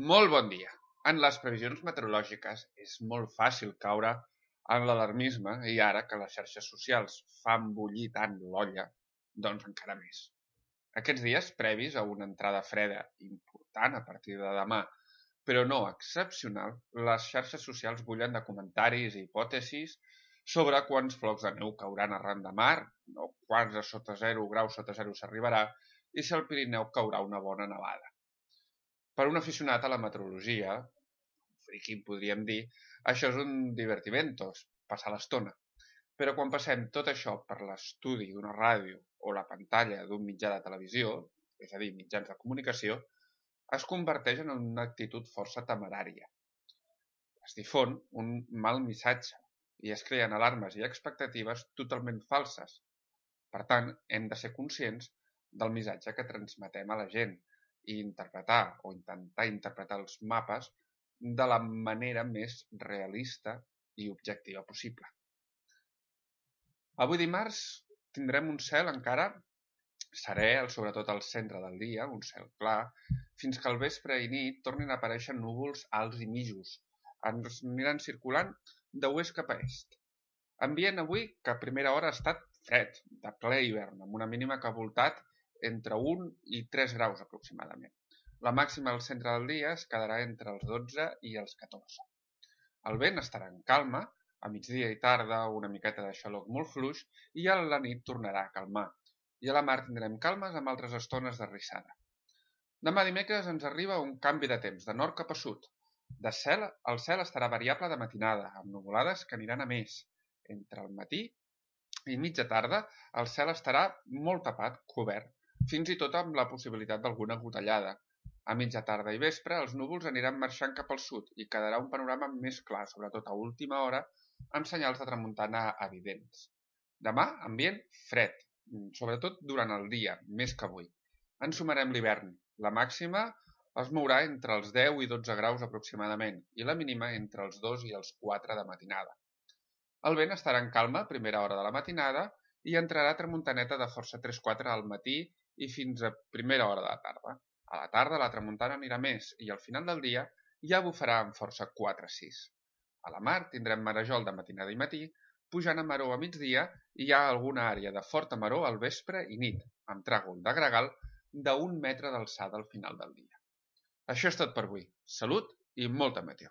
Molt bon dia. En les previsions meteorològiques és molt fàcil caure en l'alarmisme i ara que les xarxes socials fan bullir tant l'olla, doncs encara més. Aquests dies previs a una entrada freda important a partir de demà, però no excepcional, les xarxes socials bullen de comentaris i hipòtesis sobre quants flocs de neu cauran arran de mar, o quants a sota 0 graus sota 0 s'arribarà, i si al Pirineu caurà una bona nevada. Per un aficionat a la meteorologia, friqui podríem dir, això és un divertimentos, passar l'estona. Però quan passem tot això per l'estudi d'una ràdio o la pantalla d'un mitjà de televisió, és a dir, mitjans de comunicació, es converteix en una actitud força temerària. Es difon un mal missatge i es creen alarmes i expectatives totalment falses. Per tant, hem de ser conscients del missatge que transmetem a la gent i interpretar o intentar interpretar els mapes de la manera més realista i objectiva possible. Avui dimarts tindrem un cel encara serè, sobretot al centre del dia, un cel clar, fins que al vespre i nit tornin a aparèixer núvols alts i mitjos. Ens aniran circulant d'oest cap a est. Ambient avui que a primera hora ha estat fred, de ple hivern, amb una mínima que ha voltat entre 1 i 3 graus aproximadament. La màxima al centre del dia es quedarà entre els 12 i els 14. El vent estarà en calma, a migdia i tarda una miqueta de xaloc molt fluix i a la nit tornarà a calmar. I a la mar tindrem calmes amb altres estones de rissada. Demà dimecres ens arriba un canvi de temps, de nord cap a sud. El cel estarà variable de matinada, amb nuvolades que aniran a més. Entre el matí i mitja tarda el cel estarà molt tapat, cobert, fins i tot amb la possibilitat d'alguna gotellada. A mitja tarda i vespre els núvols aniran marxant cap al sud i quedarà un panorama més clar, sobretot a última hora, amb senyals de tramuntana evidents. Demà, ambient fred, sobretot durant el dia, més que avui. Ens sumarem l'hivern. La màxima es mourà entre els 10 i 12 graus aproximadament i la mínima entre els 2 i els 4 de matinada. El vent estarà en calma a primera hora de la matinada i entrarà tramuntaneta de força 3-4 al matí i fins a primera hora de la tarda. A la tarda la tramuntana anirà més i al final del dia ja bufarà amb força 4-6. A la mar tindrem marejol de matinada i matí, pujant a maror a migdia i hi ha alguna àrea de forta maror al vespre i nit, amb tràgol de gregal d'1 metre d'alçada al final del dia. Això és tot per avui. Salut i molta meteo.